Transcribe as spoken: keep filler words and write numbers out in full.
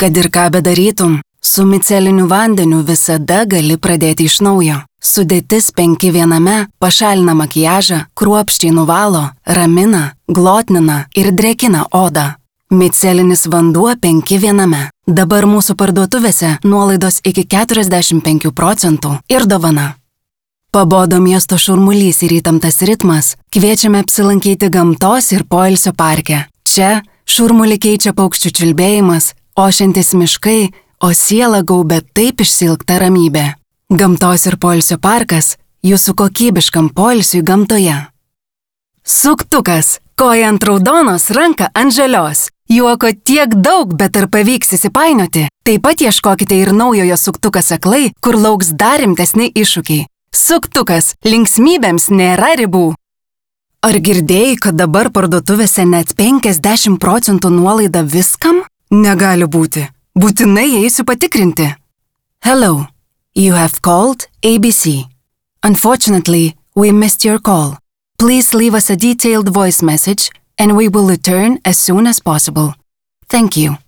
Kad ir ką bedarytum, su miceliniu vandeniu visada gali pradėti iš naujo. Sudėtis penki viename pašalina makiažą, kruopščiai nuvalo, ramina, glotnina ir drėkina odą. Micelinis vanduo penki viename. Dabar mūsų parduotuvėse nuolaidos iki keturiasdešimt penkių procentų ir dovana. Pabodo miesto šurmulys ir įtemptas ritmas, kviečiame apsilankyti gamtos ir poilsio parke. Čia šurmulį keičia paukščių čiulbėjimas, ošiantis miškai, o sielą gaubia taip išsilgta ramybė. Gamtos ir poilsio parkas jūsų kokybiškam poilsiui gamtoje. Suktukas. Koja ant raudonos, ranka ant žalios. Juoko tiek daug, bet ar pavyks įsipainioti? Taip pat ieškokite ir naujojo suktukas aklai, kur lauks dar rimtesni iššūkiai. Suktukas. Linksmybėms nėra ribų. Ar girdėjai, kad dabar parduotuvėse net penkiasdešimt procentų nuolaida viskam? Negali būti. Būtinai eisiu patikrinti. Hello. You have called A B C. Unfortunately, we missed your call. Please leave us a detailed voice message and we will return as soon as possible. Thank you.